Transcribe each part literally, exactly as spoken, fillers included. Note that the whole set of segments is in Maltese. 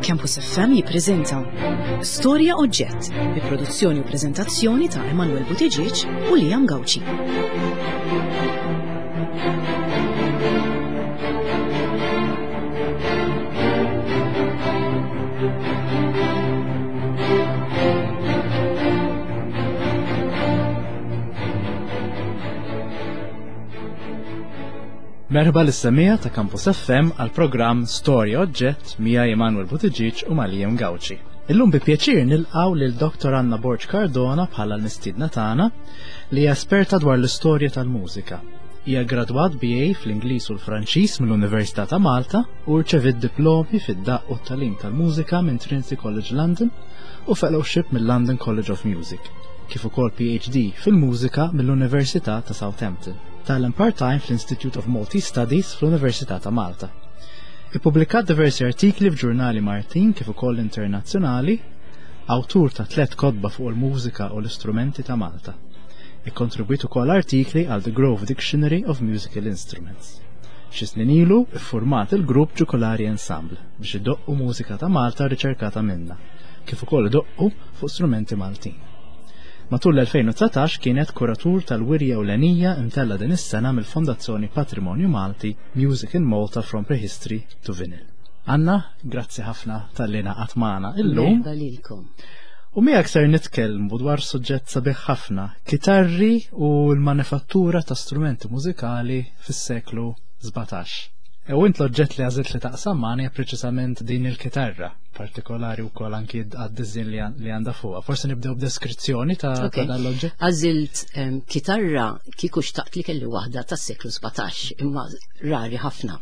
Campus F M jippreżenta Storja Oġġett bi produzzjoni u preżentazzjoni ta' Emanuel Buttigieg u Liam Gauci. Merħba lis-semmiegħa ta' Campus F M għal programm Storja Oġġett miegħi Emanuel Buttigieg u ma' Liam Gauci. Illum bi pjaċir nilqgħu lil Doktor Anna Borg Cardona bħala l-mistiedna tagħna, li hija esperta dwar l-istorja tal-mużika. Hija gradwat B A fl-Ingliż u l-Franċiż mill-Università ta' Malta u rċevit diplomi fid-daqq u t-tagħlim tal-mużika minn Trinity College London u fellowship mill-London College of Music, kif ukoll P H D fil-mużika mill-Università ta' Southampton. Tgħallem part-time fl-Institute of Maltese Studies fl-Università ta' Malta. Ippubblikat diversi artikli f'ġurnali Maltin kif ukoll internazzjonali, awtur ta' tliet kotba fuq il-mużika u l-istrumenti ta' Malta. Ikkontribwit ukoll artikli għal The Grove Dictionary of Musical Instruments. Xi snin ilu iffurmat il-grupp Ġukolari Ensemble biex idoqqu mużika ta' Malta riċerkata minna, kif ukoll idoqqu fuq strumenti Maltin. Matul l-elfejn u dsatax kienet kuratur tal-wirja ewlenija imtella din is-sena mill-Fondazzjoni Patrimonju Malti, Music in Malta from Prehistory to Vinyl. Anna, grazzi ħafna talli ngħaqadt magħna illum. Merħba lilkom. U miegħek ser nitkellmu dwar suġġett sabiħ ħafna, kitarri u l-manifattura ta' strumenti mużikali fis-seklu sbatax. U int l-oġġett li għażilt li taqsam magħna hija preċisament din il-kitarra, partikolari wkoll anki għad-diżin li għan- li għandha fuqha. Forsi nibdew b'deskrizzjoni ta' ta' Ok. dan l-oġġett. Għażilt em, kitarra kieku xtaqt li kelli waħda tas-seklu sbatax, imma rari ħafna.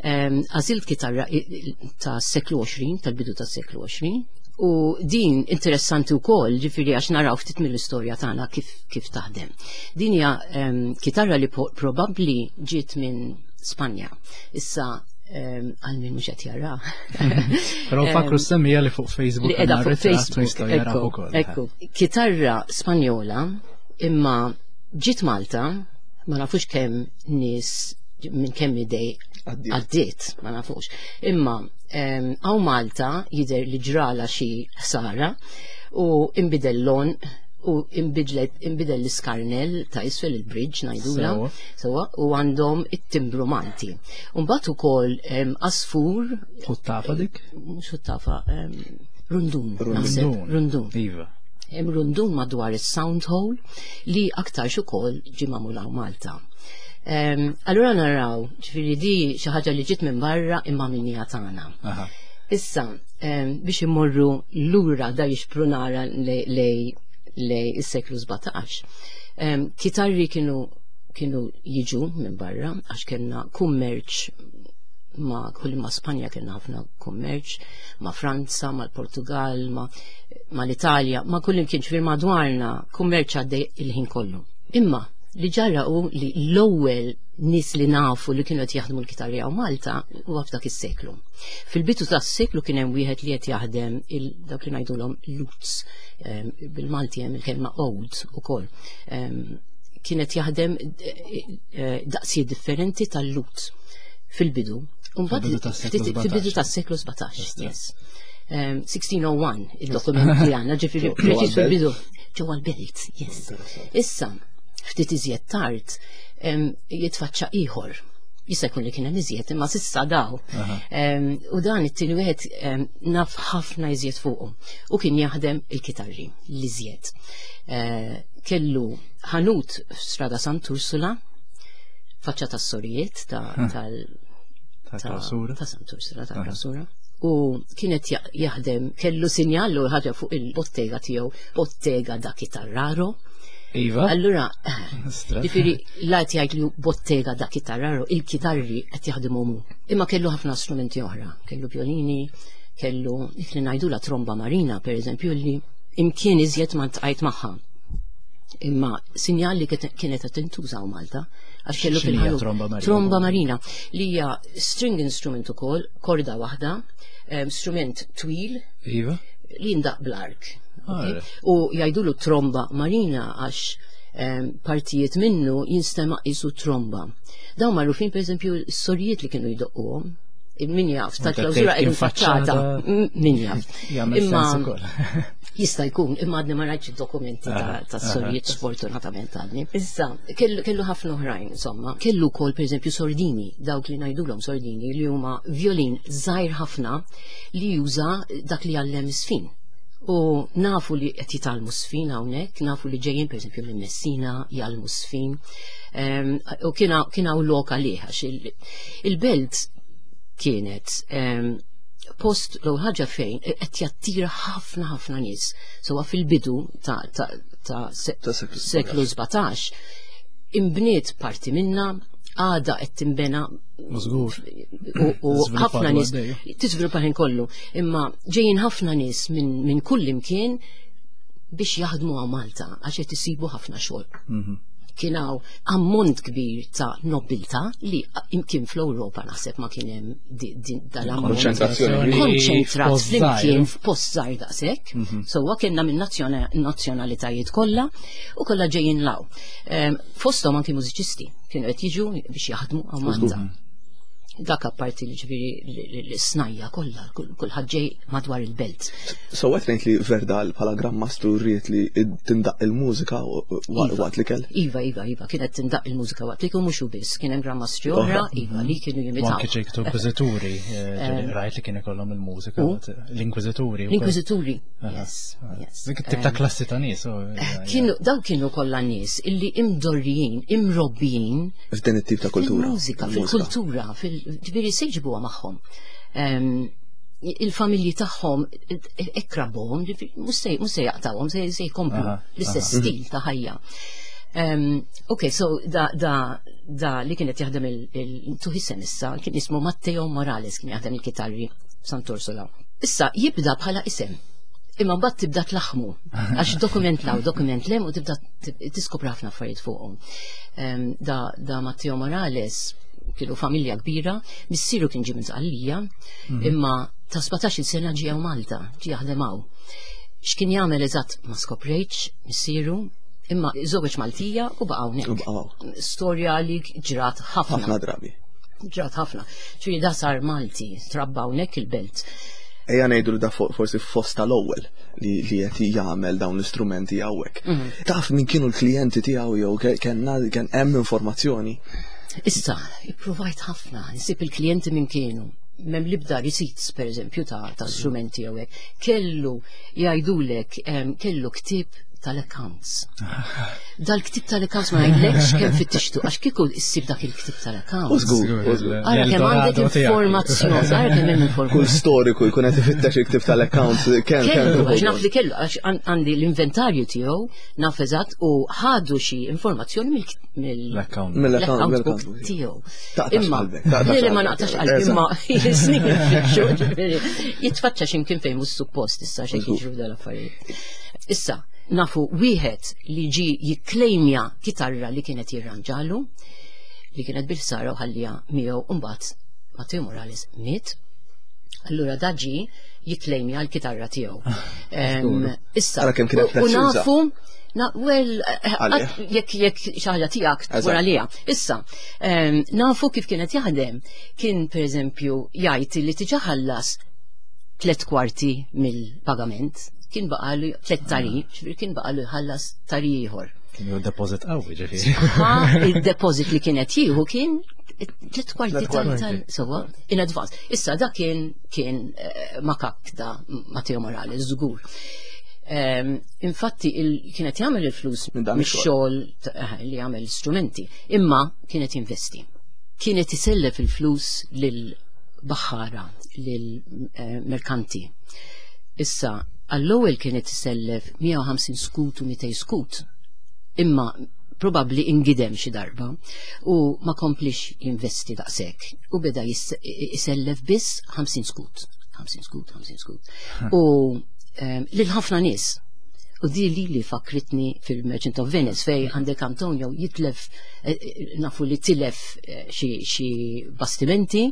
Em, Għażilt kitarra i- i- ta' seklu għoxrin, tal-bidu ta' seklu għoxrin, u din interessanti wkoll, ġifieri għax naraw ftit mill-istorja tagħna kif, kif taħdem. Din hija em, kitarra li po- probabbli ġiet minn Spanja. Issa em, għal min mhux qed jara. Però fakru s-semmiegħa li fuq Facebook Li qiegħda għandna fuq ritratt u Facebook. jistgħu jaraw Ekku, ukoll. ekku. Kitarra Spanjola imma ġiet Malta, ma nafux kemm nies, minn kemm idej għaddiet, ma nafux. Imma em, hawn Malta jidher li ġrala xi ħsara u imbidel lon u imbidlet imbidel l-iskarnel ta' isfel, il-bridge ngħidula. Sewa. Sewa, u għandhom it-timbru Malti. Mbagħad ukoll em, asfur. Ħuttafa dik? Mhux ħuttafa, em, rundun, naħseb, Rundun. Rundun. Iva. Hemm rundun madwar is-sound hole li aktarx ukoll ġie magħmul hawn Malta. Um, allura naraw, ġifieri di xi ħaġa li ġiet minn barra imma minnija tagħna. Aha. Issa, um, biex immorru lura da jixprunara lej lej lej is-seklu sbatax. Um, kitarri kienu kienu jiġu minn barra għax kellna kummerċ ma' kull ma' Spanja, kellna ħafna kummerċ ma' Franza, ma' l-Portugal, ma' ma' l-Italja, ma' kull imkien, ġifieri madwarna kummerċ għaddej il-ħin kollu. Imma li ġara u li l-ewwel nies li nafu li kienu qed jaħdmu l-kitarri hawn Malta huwa f'dak is-seklu. Fil-bidu tas-seklu kien hemm wieħed li qed jaħdem il dak li ngħidulhom lutes, em, bil-Malti hemm il-kelma għud ukoll. Em, Kienet jaħdem eh, eh, daqsijiet differenti tal-lute fil-bidu. Mbagħad Fil-bidu tas-seklu ftit- fil-bidu sbatax. tas-seklu sbatax, Just, yes. Um, sixteen oh one il-dokument li għandna, ġifieri Ġewwa preċis l-belt? fil-bidu. Ġewwa l-belt, yes. Issa, ftit iżjed tard, em, jitfaċċa ieħor. Jista' jkun li kien hemm iżjed, imma s'issa daw. Em, U dan it-tieni wieħed em, naf ħafna iżjed fuqu. U kien jaħdem il-kitarri l-iżjed. Eh, Kellu ħanut f'Strada Sant'Ursula, faċċa tas-sorijiet ta' tal Ta' ta' klausura. Ta' Sant'Ursula, ta' klausura. U kienet ja- jaħdem, kellu sinjal u ħaġa fuq il-bottega tiegħu, "Bottega da chitarraro". Iva. Allura, Stra. ġifieri, lajt jgħid li "bottega da chitarraro", il-kitarri qed jaħdmu mu. Imma kellu ħafna strumenti oħra, kellu violini, kellu dik li ngħidu la tromba marina, per eżempju, li imkien iżjed ma ltqajt magħha. Imma sinjal li kiet- kienet qed tintuża Malta għax kellu X'inhija fil-ħanut. tromba marina? Tromba marina li hija string instrument ukoll, korda waħda, em, strument twil Iva. li jindaq bl-ark. Ah, Okay? U jgħidulu tromba marina għax Em, partijiet minnu jinstema' qisu tromba. Dawn magħrufin, pereżempju, s-sorijiet li kienu jdoqquhom. Min jaf, tal-klawsura Kien qegħdin faċċata. faċċata. M- Min jaf. Jagħmel Imma sens ukoll. jista' jkun, imma għadni ma rajtx id-dokumenti ta' Aha, ta' sorijiet, sfortunatament għadni. Issa, kellu kellu ħafna oħrajn, insomma. Kellu wkoll, pereżempju, sordini, dawk li ngħidulhom sordini, li huma violin żgħir ħafna li juża dak li għallem żfin. U nafu li qed jitgħallmu żfin hawnhekk, nafu li ġejjin, pereżempju, minn Messina jgħallmu żfin. Em, U kien hawn kien hawn lok għalih għax il- il-belt kienet em, post l ħaġa fejn qed jattira ħafna ħafna nies. So fil-bidu ta' ta' ta' se- Ta' seklu seklu sbatax imbniet parti minna, għada qed timbena Żgur. u u Żviluppat ħafna nies għaddej. tiżviluppa ħin kollu, imma ġejjin ħafna nies minn min kull imkien biex jaħdmu għaw Malta għax qed isibu ħafna xogħol. Mhm. Kien hawn ammont kbir ta' nobiltà li imkien fl-Ewropa naħseb ma kien hemm di- di- dal-ammont Konċentrazzjoni. konċentrat F'post flimkien żgħir. f'post żgħir daqshekk. Sewwa kellna minn nazzjona- nazzjonalitajiet kollha u kollha ġejjin law. Em, Fosthom anki mużiċisti kienu qed jiġu biex jaħdmu għaw Malta. Dak apparti li, ġifieri, l-snajja kollha, kull- kulħadd ġej madwar il-belt. So għet ngħid li Verdal bħala Gran Mastru rrid li tindaq il-mużika Iva. waqt li kell. Iva, iva, iva, kienet tindaq il-mużika waqt li mhux biss, kien hemm Gran Mastri oħra, iva, li kienu U jimitaw. anke ċertu inkwiżituri, eh, ġieli rajt li kien ikollhom il-mużika, U? l-inkwiżituri. wkoll. L-inkwiżituri, Aha, yes, aha. yes. Dik it-tip ta' klassi ta' nies. u- ja, ja. Kienu, daw kienu kollha nies illi imdorrijin, imrobbijin F'din it-tip ta' kultura. fil-mużika, fil-kultura, fil ġifieri se jġibuha magħhom. Em, Il-familji tagħhom ekrabhom, mhux se mhux se jaqtawhom, se se jkomplu Aha, l-istess stil ta' ħajja. Um, ok, so da, da, da li kienet jaħdem il-tuħisem issa, kien ismu Matteo Morales, kien jaħdem il-kitarri Sant'Ursola. Issa jibda bħala isem. Imma mbagħad tibda tlaħmu, għax dokument law, dokument lem u tibda tiskopri ħafna affarijiet fuqhom. Em, Da, da Matteo Morales kienu familja kbira, missieru kien ġie minn Sqallija, imma ta' sbatax-il sena ġie hawn Malta, ġie jaħdem hawn. X'kien jagħmel eżatt ma skoprejtx missieru, imma żewġ Maltija u baqa' U hawnhekk. baqgħu hawn. Storja li ġrat ħafna. Ħafna drabi. Ġrat ħafna. Ċuri da sar Malti, trabba hawnhekk il-belt. Ejja ngħidu li da fo- forsi fost tal-ewwel li li qed jagħmel dawn l-istrumenti hawnhekk. Taf min kienu l-klijenti tiegħu jew ke- kellna kien hemm informazzjoni? Issa, ipprovajt ħafna, nsib il-klijenti minn kienu. M'hemm l-ebda receipts, per eżempju, ta', ta' strumenti jew hekk. Kellu jgħidulek, em, kellu ktieb tal-accounts. Dal-ktieb tal-accounts ma ngħidlekx kemm fittixtu, għax kieku issib dak il-ktieb U tal-accounts. żgur, u żgur. Ara kemm għandek L-Eldorado tiegħek. informazzjoni, ara kemm hemm Kull informazzjoni. storiku jkun qed ifittex il-ktieb tal-accounts kemm Kellu, kemm għax naf li kellu, għax għan- għandi l-inventarju tiegħu, naf eżatt, u ħadu xi informazzjoni mill- mill- L-account. Mill-account l-account book mill-account. tiegħu. Taqtax Imma, qalbek, taqtax le, le, ma qalbek. naqtax qalbi, Eżatt. imma snin nfittxu, ġifieri, jitfaċċa x'imkien fejn mhux suppost issa xejn jiġru dal-affarijiet. Issa, nafu wieħed li ġi jikklejmja kitarra li kienet jirranġalu, li kienet bil-sara u ħallija miegħu, u mbagħad Matteo Morales miet. Allura da ġi jikklejmja l-kitarra tiegħu. Em, Issa, Ara kemm kienet u- u prezzjuża. nafu. Na, well, eh, Għalih. jekk jekk xi ħaġa tiegħek Eżatt. wara liha. Issa, em, nafu kif kienet jaħdem. Kien pereżempju jgħid li tiġa ħallas tliet kwarti mill-pagament, kien baqalu tliet tari, ġifieri kien baqalu jħallas tari ieħor. Kien ju deposit qawwi, ġifieri. Ha, il-deposit li kienet jieħu kien tliet kwarti Tliet tal kwarti. tal sewwa in advance. Issa da kien kien eh, makak da Matteo Morales żgur. Ehm, infatti il, kienet jagħmel il-flus Minn dan mix-xogħol ta- eh, li jagħmel strumenti, imma kienet jinvesti. Kienet isellef il-flus lil baħħara, lil eh, merkanti. Issa, għall-ewwel kienet isellef mija u ħamsin skut u mitejn skut, imma probabbli ingidem xi darba u ma komplix jinvesti daqshekk u beda jis- isellef biss ħamsin skut, ħamsin skut, ħamsin skut. U ehm, lil ħafna nies. U di li li fakritni fil-Merchant of Venice fej għandek Antonio jitlef, eh, eh, nafu li tilef eh, xi xi bastimenti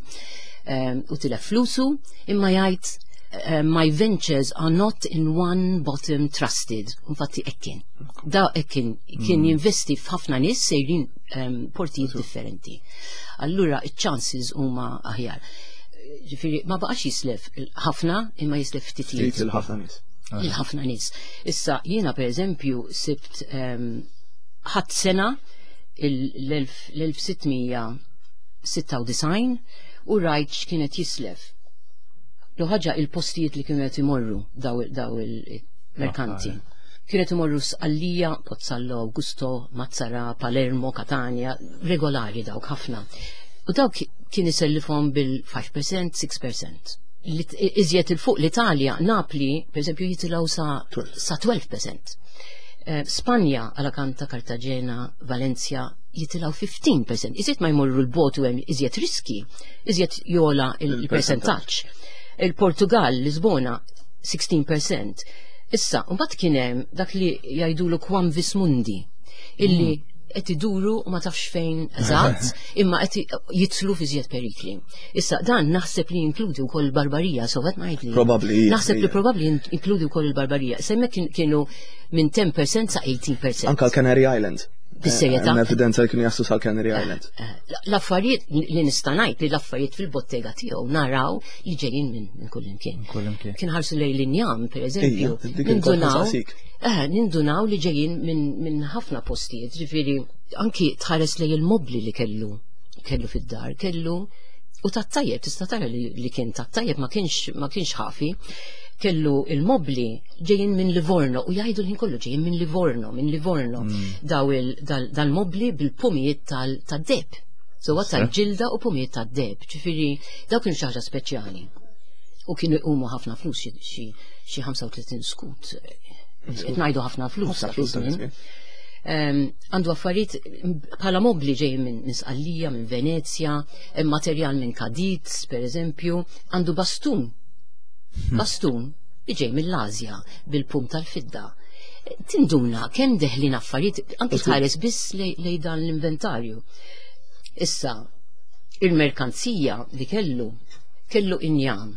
ehm, u tilef flusu, imma jgħid Uh, my ventures are not in one bottom trusted. Infatti ekkin. Da ekkin kien mm. jinvesti f'ħafna nies sejrin um, portijiet differenti. Allura iċ-chances huma aħjar. Ġifieri ma baqax jislef ħafna imma jislef ftitijiet. Il-ħafna nies. Il-ħafna nies. Issa jiena pereżempju sibt ħadd sena l-elf sitt mija sitta u disgħin u rajt x'kienet jislef. Lu ħaġa il-postijiet li kienu qed imorru daw daw il-merkanti. Kienet imorru Sqallija, Pozzallo, Augusto, Mazzara, Palermo, Catania, regolari dawk ħafna. U dawk kien isellifhom bil-five percent, six percent. Iżjed il-fuq l-Italja, Napli, per eżempju, jitilgħu sa, sa tnax fil-mija. Eh, Spanja, Alicante, Cartagena, Valencia, jitilgħu fifteen percent. Iżjed ma jmorru l-botu hemm iżjed riski, iżjed jola il-percentaġġ. Il-Portugal, Lisbona, sixteen percent. Issa, mbagħad kien hemm dak li jgħidulu quamvis mundi, illi mm. qed iduru u ma tafx fejn eżatt, imma qed jitlu fi żjed perikli. Issa dan naħseb li jinkludi wkoll il-Barbarija, so qed ngħid li. Probabbli. Naħseb li probabbli jinkludi wkoll il-Barbarija. Hemmhekk kienu minn ten percent sa eighteen percent. Anka l-Canary Islands. Bis-serjetà. Hemm evidenza li kienu jaslu sal-Canary eh, Islands. Eh, l-affarijiet li nista' ngħid li l-affarijiet fil-bottega tiegħu naraw li ġejjin minn kullimkien. Kien ħarsu lejn l-injam, pereżempju. Nindunaw, eh, nindunaw li ġejjin minn ħafna postijiet, ġifieri anki tħares lejn il-mobli li kellu kellu fid-dar, kellu u tat-tajjeb, tista' tara li kien tat-tajjeb, ma kienx ma kienx ħafi. Kellu il-mobli ġejjin minn Livorno u jgħidu l-ħin kollu ġejjin minn Livorno, minn Livorno. Mm. Daw dal-mobli bil-pumijiet tad-deheb. So tal-ġilda u pumijiet tad-deheb. Ġifieri daw kienu xi ħaġa speċjali. U kienu jqumu ħafna flus, xi ħamsa u tletin skut. Qed ngħidu ħafna flus. Għandu affarijiet bħala mobli ġej minn Sqallija, minn Venezja, materjal minn Cadiz, per eżempju, għandu bastun. Hmm. Bastun li ġej mill-Azja bil-pum tal-fidda. Tinduna kemm deħlin affarijiet anki tħares biss lej dan l-inventarju. Issa, il-merkanzija li kellu, kellu injam.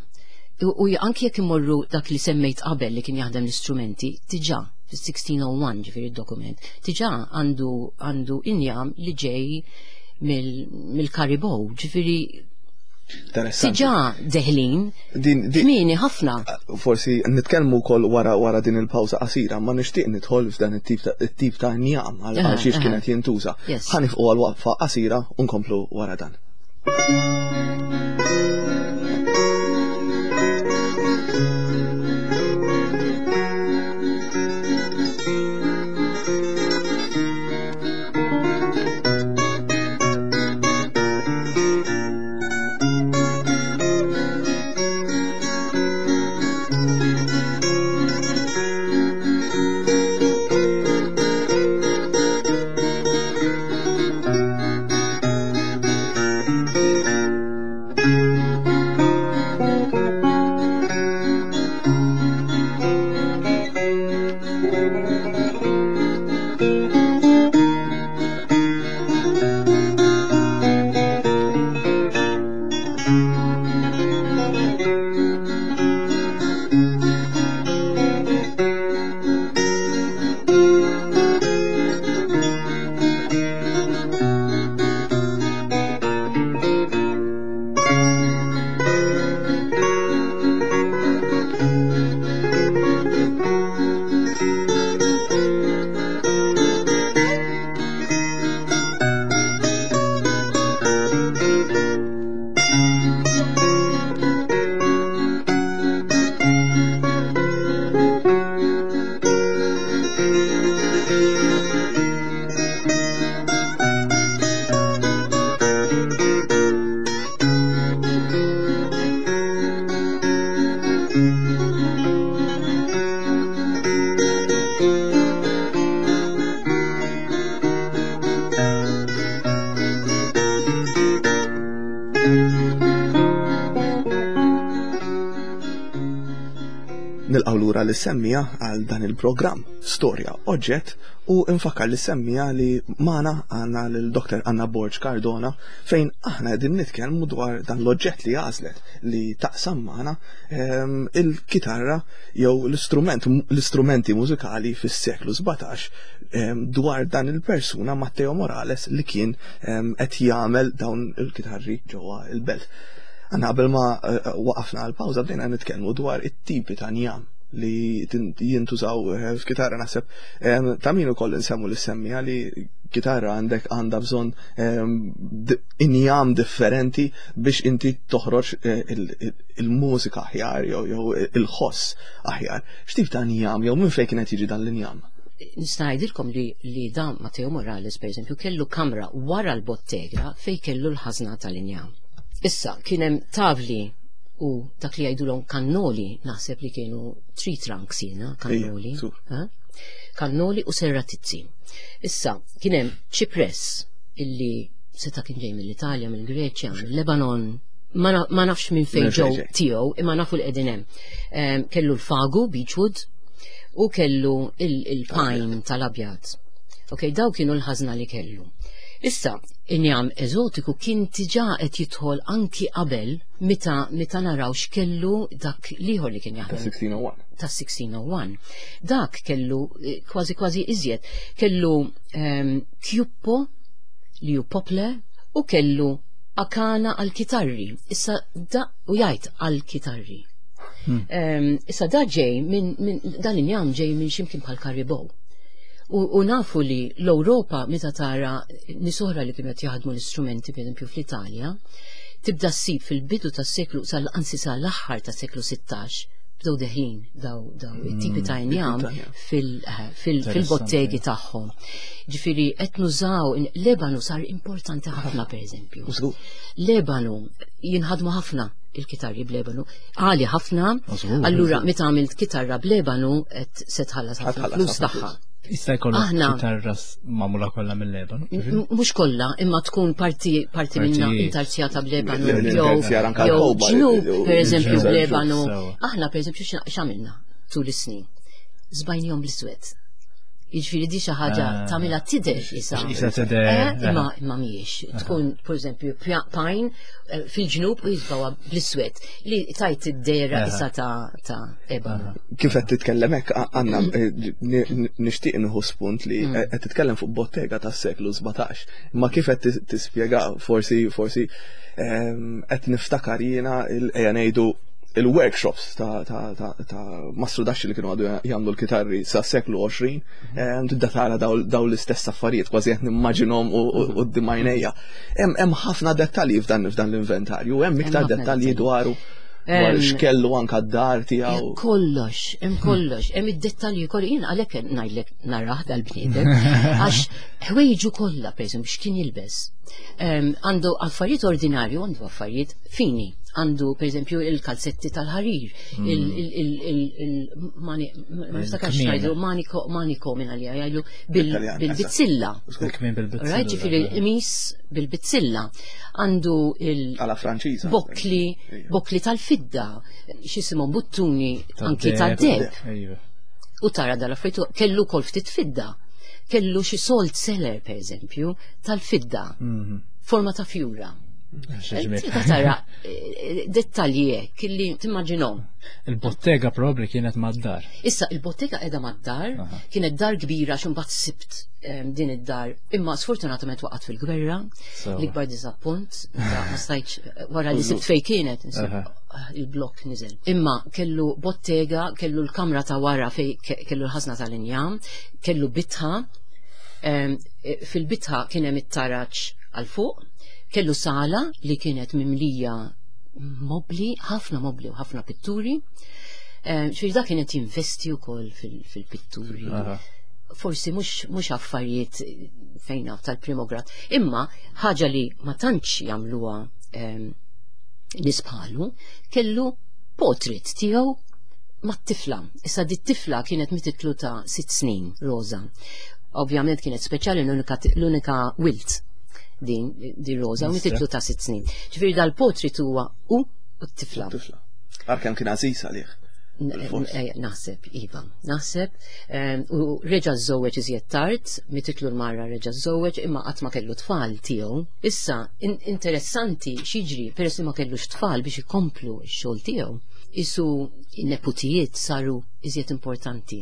U anki jekk imorru dak li semmejt qabel li kien jaħdem l-istrumenti, diġà fis-sixteen oh one, ġifieri dokument, diġà għandu għandu injam li ġej mill-Karibow, ġifieri diġà deħlin, kmieni ħafna. Forsi nitkellmu wkoll wara wara din il-pawża qasira, ma nixtieq nidħol f'dan it-tip ta' injam għal xiex kienet jintuża. Ħa nieqfu għal waqfa qasira u nkomplu wara dan. Nilqgħu lura lis-semmiegħa għal dan il-programm Storja Oġġett u nfakkar lis-semmiegħa li magħna għandna lil Doktor Anna Borg Cardona, fejn aħna qegħdin nitkellmu dwar dan l-oġġett li għażlet li taqsam magħna, ehm, il-kitarra jew l-istrument l-istrumenti mużikali fis-seklu sbatax, ehm, dwar dan il-persuna Matteo Morales li kien ehm, qed jagħmel dawn il-kitarri ġewwa il-belt. Għanna qabel ma eh, waqafna għal-pawża bdejna nitkellmu dwar it-tipi ta' njam li jintużaw eh, f'kitarra. Naħseb ta' min ukoll nsemmu lis-semmiegħa li kitarra għandek għandha bżonn injam differenti biex inti toħroġ eh, il-mużika aħjar jew il-ħoss aħjar. X'tip ta' njam jew minn fejn kienet jiġi dan l-injam? Nista' ngħidilkom li li dan Matteo Morales, pereżempju, kellu kamra wara l-bottega fej kellu l-ħażna tal-injam. Issa, kien hemm tavli u dak li jgħidulhom kannoli, naħseb li kienu tree trunks jiena, kannoli. Kannoli u serratizzi. Issa, kien hemm ċipress illi seta' kien ġej mill-Italja, mill-Greċja, mill-Lebanon, ma nafx minn fejn ġew tiegħu, imma nafu li qegħdin hemm. Kellu l-fagu, beechwood, u kellu il-pine tal-abjad. Ok, daw kienu l-ħażna li kellu. Issa, injam eżotiku kien diġà qed jidħol anki qabel, meta meta naraw x'kellu dak l-ieħor li kien jaħdem. Ta' sixteen oh one. Ta' sixteen oh one. Dak kellu eh, kważi kważi iżjed. Kellu um, kjuppo li hu poplar u kellu akana għal-kitarri. Issa da u jgħid għal-kitarri. Hmm. Um, issa da ġej minn min, dan injam ġej minn ximkien bħal Karibow. U, u nafu li l-Ewropa, meta tara nies oħra li kienu qed jaħdmu l-istrumenti, pereżempju fl-Italja, tibda ssib fil-bidu tas-seklu, anzi sal-aħħar tas-seklu sittax, bdew deħlin daw daw it-tipi ta' injam fil-bottegi tagħhom. Ġifieri qed nużaw l-ebanu sar importanti ħafna, pereżempju. L-ebanu jinħadmu ħafna il-kitarri bl-ebanu. Għali ħafna, allura meta għamilt kitarra bl-ebanu qed se tħallas ħafna flus tagħha. Jista' jkollok kitarra magħmula kollha mill-ebanu? Mhux kollha, imma tkun parti parti minna intarsjata bl-ebanu jew ġnub, pereżempju, bl-ebanu. Aħna, pereżempju, x'għamilna tul is-snin? Żbajnihom bl-iswed. Jiġifieri di xi ħaġa ah. tagħmilha tidher isa. Isa tidher. Eh, imma imma mhijiex. Tkun, pereżempju, pine eh, fil-ġnub u jiżbgħuha bl-iswed li tajt id-dehra isa ta' ta' ebanu. Kif qed titkellem hekk, Anna, eh, nixtieq nieħu spunt li mm. qed titkellem fuq bottega tas-seklu sbatax. Imma kif qed tispjega, forsi forsi ehm, qed niftakar jiena ejja ngħidu il-workshops ta' ta' ta' ta' mastrudaxxi li kienu għadu jagħmlu l-kitarri sa' seklu għoxrin, mhm. tibda tara daw l-istess affarijiet, kważi qed nimmaġinhom u d-dimajnejja. Hemm ħafna dettalji f'dan f'dan l-inventarju, hemm iktar dettalji dwaru, dwar x'kellu anka d-dar tiegħu. Kollox, hemm kollox, hemm id-dettalji kollu. Jien għalhekk ngħidlek narah dal-bniedem, għax ħwejġu kollha, pereżempju, x'kien jilbes. Għandu affarijiet ordinarju, għandu affarijiet fini. Għandu, pereżempju, il-kalzetti tal-ħarir, il-ma niftakarx ngħidu maniko maniko minn għalija jgħidu bil-bizzilla. Bil-bizzilla. Ġifieri il-qmis bil-bizzilla. Għandu il- Għala Franċiża. Bokli, bokli tal-fidda, x'isimhom, buttuni anki tad-deheb. U tara dal-affarijiet, kellu kol ftit fidda. Kellu xi salt cellar, per eżempju, tal-fidda. Mhm. Forma ta' fjura. Tibda tara eh, dettalji hekk illi timmaġinhom. Il-bottega probabli kienet mad-dar. Issa il-bottega qiegħda mad-dar, Aha. kienet dar kbira xi mbagħad sibt em, din id-dar, imma sfortunatament waqgħet fil-gwerra, Sewa. l-ikbar diżappunt, ta' ma stajtx, wara li sibt fej kienet, insib, Aha. ah, il-blok niżel. Imma kellu bottega, kellu l-kamra ta' wara fej ke- kellu l-ħażna tal-injam, kellu bitħa, em, e, fil-bitħa kien hemm it-taraġ għal fuq, kellu sala li kienet mimlija mobli, ħafna mobli u ħafna pitturi. Ġifieri da kienet jinvesti wkoll fil- fil-pitturi. Aha. Forsi mhux mhux affarijiet fejn naf tal-primograd, imma ħaġa li ma tantx jagħmluha em, nies bħalu, kellu portrait tiegħu mat-tifla. Issa di t-tifla kienet mititlu ta' sitt snin, Rosa. Ovvjament kienet speċjali, l-unika l-unika wilt din di Rosa, u Mistra. mititlu ta' sitt snin. Ġifieri dal-portrait huwa u u t-tifla. Tifla. Għar kemm kien għażiż għalih. Eh, naħseb, iva, naħseb. U reġa' żżewweġ iżjed tard, mititlu l-mara reġa' żżewweġ, imma qatt ma kellu tfal tiegħu. Issa, interessanti x'jiġri, peress li ma kellux tfal biex ikomplu x-xogħol tiegħu, isu n-neputijiet saru iżjed importanti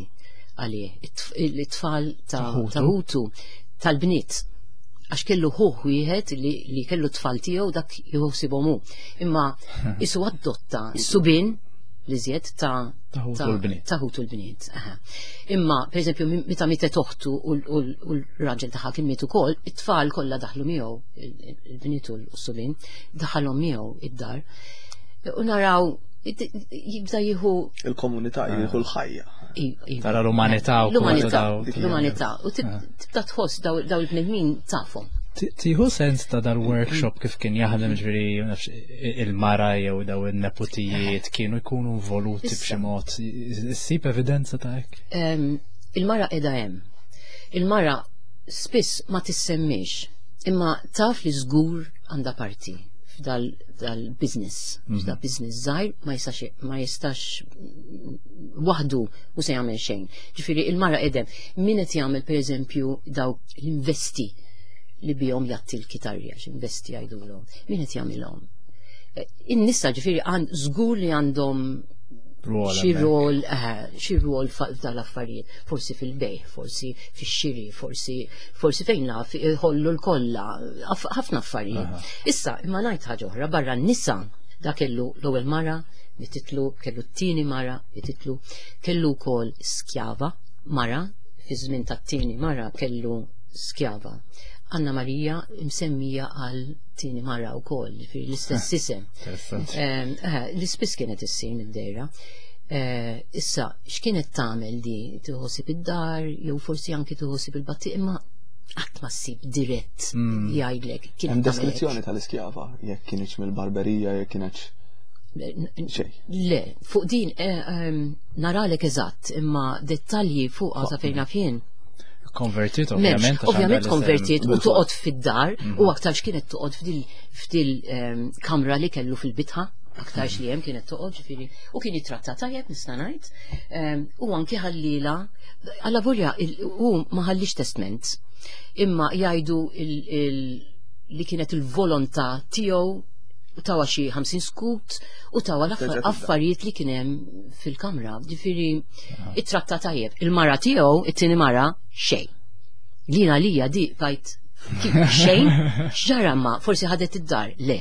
għalih, it-tfal ta' ħutu, tal-bniet. Għax kellu ħuh wieħed li, li kellu tfal tiegħu dak jħossibhom hu. Imma isu adotta subien li żjed ta' ta' ħutu l-bniet. Imma, per eżempju, meta mietet oħtu u l-raġel tagħha kien miet ukoll, it-tfal kollha daħlu miegħu, il-bniet u s-subien, daħalhom miegħu id-dar. U naraw jibda jieħu il-komunità, jieħu l-ħajja. Tara l-umanità u l-umanità, l-umanità. U tibda tħoss daw il-bnedmin tafhom. Tieħu sens ta' dal-workshop kif kien jaħdem, ġifieri il-mara jew daw in-neputijiet kienu jkunu involuti b'xi mod. Issib evidenza ta' hekk? Il-mara qiegħda hemm. Il-mara spiss ma tissemmix, imma taf li żgur għandha parti f'dal-business. Mm -hmm. Business żgħir ma jistax ma jistax waħdu u se jagħmel xejn. Ġifieri il-mara qedem min qed jagħmel pereżempju dawk l-investi li bihom jatti l-kitarri, għax investi jgħidulhom. Min qed jagħmilhom? In-nisa ġifieri għand żgur li għandhom xi rol, xi rol f'dal-affarijiet, forsi fil-bejħ, forsi fix-xiri, forsi forsi fejn naf iħollu l-kollha, ħafna affarijiet. Issa, imma ngħid ħaġa oħra, barra n-nisa da kellu l-ewwel mara, mititlu, kellu t-tieni mara, mititlu, kellu wkoll skjava mara, fi żmien tat-tieni mara kellu skjava. Anna Marija msemmija għal tieni mara wkoll, ġifieri l-istess isem. L-ispiss kienet issir mid-dejra. Issa, x'kienet tagħmel di? Tħossib id-dar, jew forsi anki tħossib il-batti, imma qatt ma ssib dirett jgħidlek. Hemm deskrizzjoni tal-iskjava, jekk kienx mill-barberija, jekk kienx. Le, fuq din naralek eżatt, imma dettalji fuqha sa fejn naf jien. Konvertit, ovvjament. Ovvjament konvertit u toqgħod fid-dar u aktarx kienet toqgħod f'dil kamra li kellu fil-bitħa, aktarx li hemm kienet toqgħod, ġifieri, u kien jitratta tajjeb nista' ngħid. U anki ħallila, alla volja hu ma ħallix testament, imma jgħidu li kienet il-volontà tiegħu u tawa xi ħamsin skut u tawa l-affarijiet li kien hemm fil-kamra. Ġifieri ittratta tajjeb. Il-mara tiegħu, it-tieni mara, xejn. Lina lija di bajt xejn, x'ġara ma forsi ħadet id-dar, le.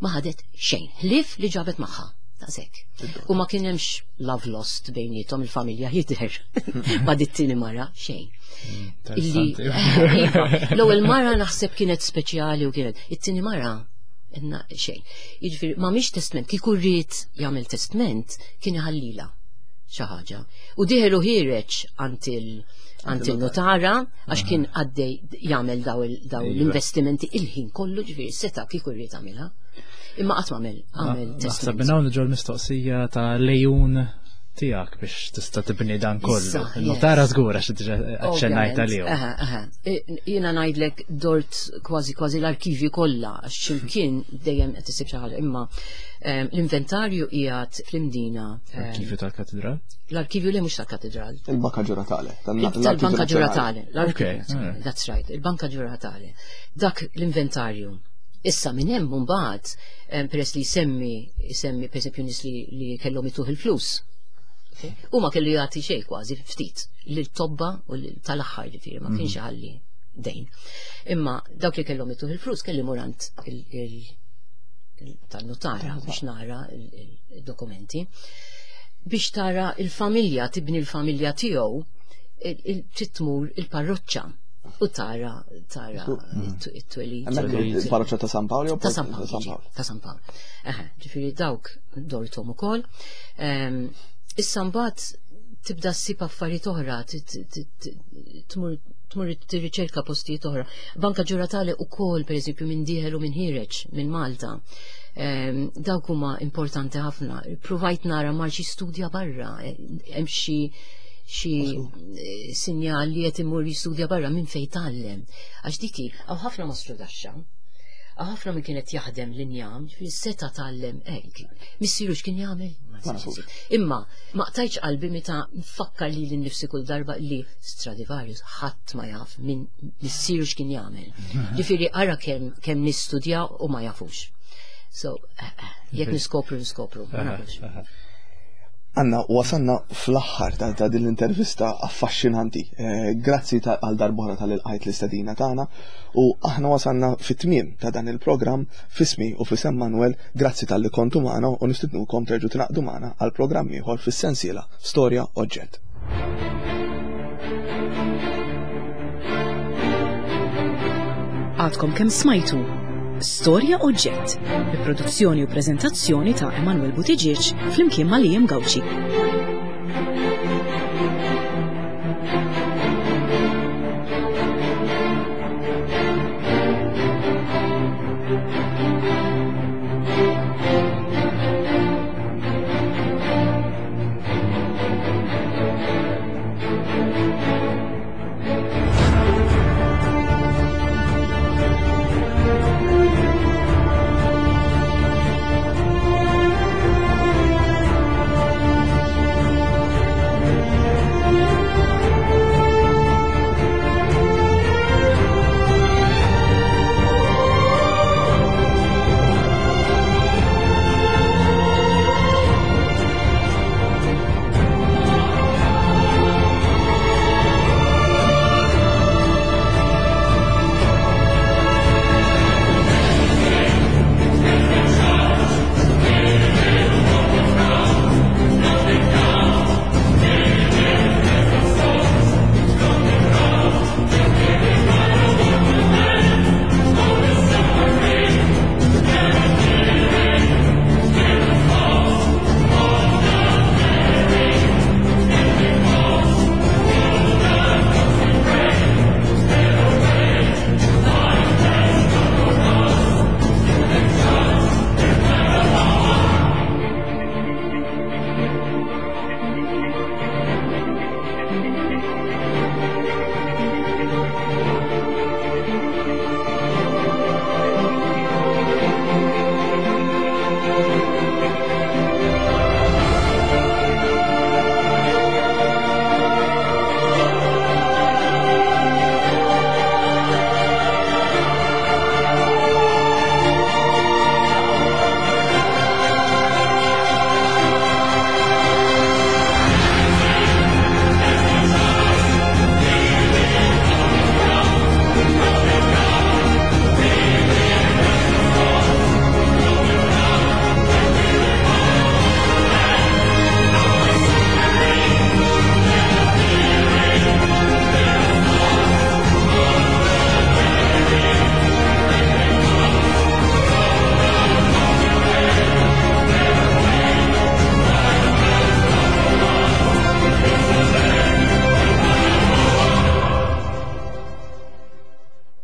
Ma ħadet xejn, ħlief li ġabet magħha. Daqshekk. U ma kien hemmx love lost bejniethom il-familja jidher. Ma dit-tieni mara xejn. Illi l-ewwel mara naħseb kienet speċjali u kienet it-tieni mara inna xejn. Jiġifieri ma mhix testament, kieku rrid jagħmel testament kien iħallila xi ħaġa. U dieħel u ħiereġ għand il-notara għax kien għaddej jagħmel daw l-investimenti il-ħin kollu, ġifieri seta' kieku rrid għamilha. Imma qatt m'għamel għamel testament. Naħseb minn hawn ġol mistoqsija ta' lejun tiegħek biex tista' tibni dan kollu. Il-notara żgur għax diġà aċċennajt għalihom. Aha, aha. Jiena ngħidlek dort kważi kważi l-arkivji kollha għax x'imkien dejjem qed isib xi ħaġa, imma l-inventarju qiegħed fl-Imdina. L-arkivju tal-Katedral? L-arkivju le mhux tal-Katedral. Il-Banka Ġuratale. Tal-Banka Ġuratale. That's right, il-Banka Ġuratale. Dak l-inventarju. Issa minn hemm mbagħad peress li jsemmi jsemmi pereżempju nies li kellhom ituh il-flus. U ma kellu jagħti xejn kważi ftit lil tobba u tal-aħħar, ġifieri ma kienx ħalli dejn. Imma dawk li kellhom ituh il-flus kelli murant tan-notara biex nara il-dokumenti. Biex tara il-familja, tibni l-familja tiegħu, trid tmur il-parroċċa u tara tara it-twelid. Il-parroċċa ta' San Paolo? Ta' San Paolo. Ta' San Paolo. Ġifieri dawk dorthom ukoll. Issa mbagħad tibda ssib affarijiet oħra, tmur tmur tirriċerka postijiet oħra. Banka Ġuratale ukoll pereżempju minn dieħel u minn ħireġ minn Malta. Dawk huma importanti ħafna. Provajt nara mar xi studja barra, hemm xi xi sinjal li qed imur jistudja barra minn fejn tgħallem. Għax diki hawn ħafna mastru daxxa. Ħafna minn kienet jaħdem l-injam, seta tgħallem hekk. Missieru x'kien jagħmel? Ma nafux. Imma ma qtajtx qalbi meta nfakkar li lil-nifsi kull darba li Stradivarius ħadd ma jaf minn missieru x'kien jagħmel. Ġifieri ara kemm kemm nistudja u ma jafux. So, eh, eh, jekk niskopru niskopru, ma nafux. Anna, wasanna fl-aħħar ta', ta' din l-intervista affaxxinanti. Eh, grazzi ta' għal darb'oħra tal-ilqajt l-istedina tagħna u aħna wasanna fit-tmiem ta' dan il-programm f'ismi u f'isem Manuel, grazzi talli kontu magħna u nistednukom terġgħu tingħaqdu magħna għal programm ieħor fis-sensiela Storja Oġġett. Għadkom kemm smajtu Storja Oġġett, bi produzzjoni u preżentazzjoni ta' Emanuel Buttigieg flimkien ma' Liam Gauci.